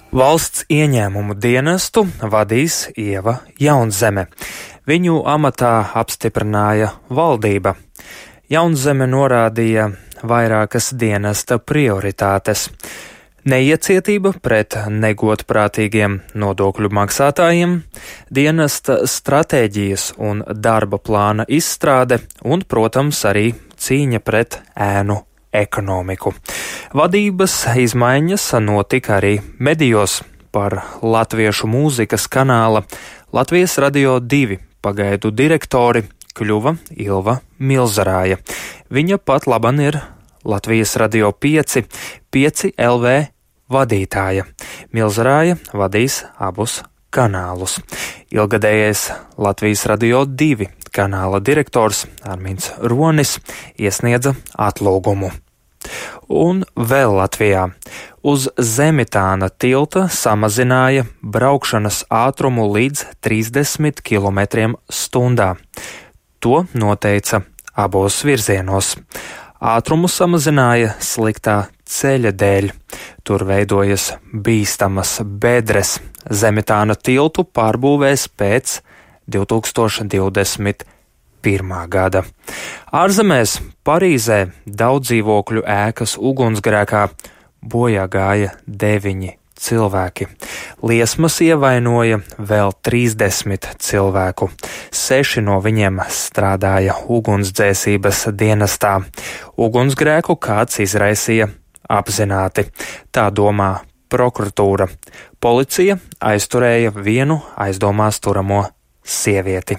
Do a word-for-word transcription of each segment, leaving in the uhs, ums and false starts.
Valsts ieņēmumu dienestu vadīs Ieva Jaunzeme. Viņu amatā apstiprināja valdība. Jaunzeme norādīja vairākas dienesta prioritātes. Neiecietība pret negodprātīgiem nodokļu maksātājiem, dienesta stratēģijas un darba plāna izstrāde un, protams, arī cīņa pret ēnu ekonomiku. Vadības izmaiņas notika arī medijos. Par latviešu mūzikas kanāla Latvijas Radio divi pagaidu direktori kļuva Ilva Milzarāja. Viņa pat laban ir Latvijas Radio pieci, pieci L V vadītāja. Milzarāja vadīs abus kanālus. Ilgadējais Latvijas Radio divi kanāla direktors Arminds Ronis iesniedza atlūgumu. Un vēl Latvijā uz Zemitāna tilta samazināja braukšanas ātrumu līdz trīsdesmit kilometriem stundā. To noteica abos virzienos. Ātrumu samazināja sliktā ceļa dēļ. Tur veidojas bīstamas bedres. Zemitāna tiltu pārbūvēs pēc divi tūkstoši divdesmit pirmā gada. Ārzemēs Parīzē daudz dzīvokļu ēkas ugunsgrēkā bojā gāja deviņi cilvēki. Liesmas ievainoja vēl trīsdesmit cilvēku. Seši no viņiem strādāja ugunsdzēsības dienestā. Ugunsgrēku kāds izraisīja apzināti. Tā domā prokuratūra. Policija aizturēja vienu aizdomās turamo sievieti.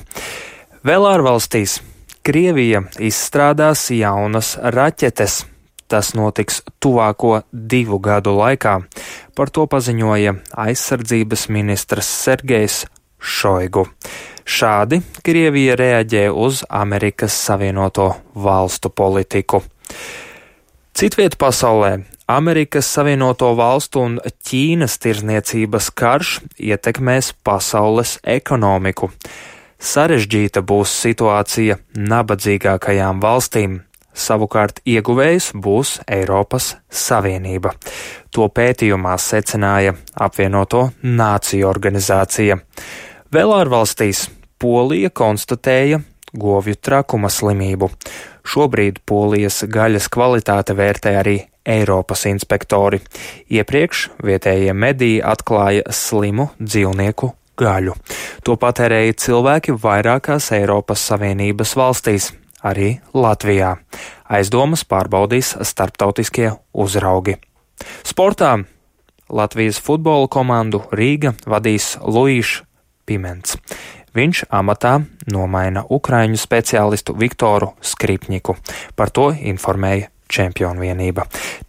Vēl ārvalstīs Krievija izstrādās jaunas raķetes. Tas notiks tuvāko divu gadu laikā. Par to paziņoja aizsardzības ministrs Sergejs Šoigu. Šādi Krievija reaģē uz Amerikas Savienoto Valstu politiku. Citviet pasaulē Amerikas Savienoto Valstu un Ķīnas tirzniecības karš ietekmēs pasaules ekonomiku. Sarežģīta būs situācija nabadzīgākajām valstīm. Savukārt ieguvējs būs Eiropas Savienība. To pētījumā secināja apvienoto nāciju organizācija. Vēl ārvalstīs Polija konstatēja govju trakuma slimību. Šobrīd Polijas gaļas kvalitāte vērtē arī Eiropas inspektori. Iepriekš vietējie mediji atklāja slimu dzīvnieku gaļu. To patērēja cilvēki vairākās Eiropas Savienības valstīs, arī Latvijā. Aizdomas pārbaudīs starptautiskie uzraugi. Sportā Latvijas futbola komandu Rīga vadīs Luīšs Piments. Viņš amatā nomaina ukraiņu speciālistu Viktoru Skripņiku. Par to informēja Čempionu vienība.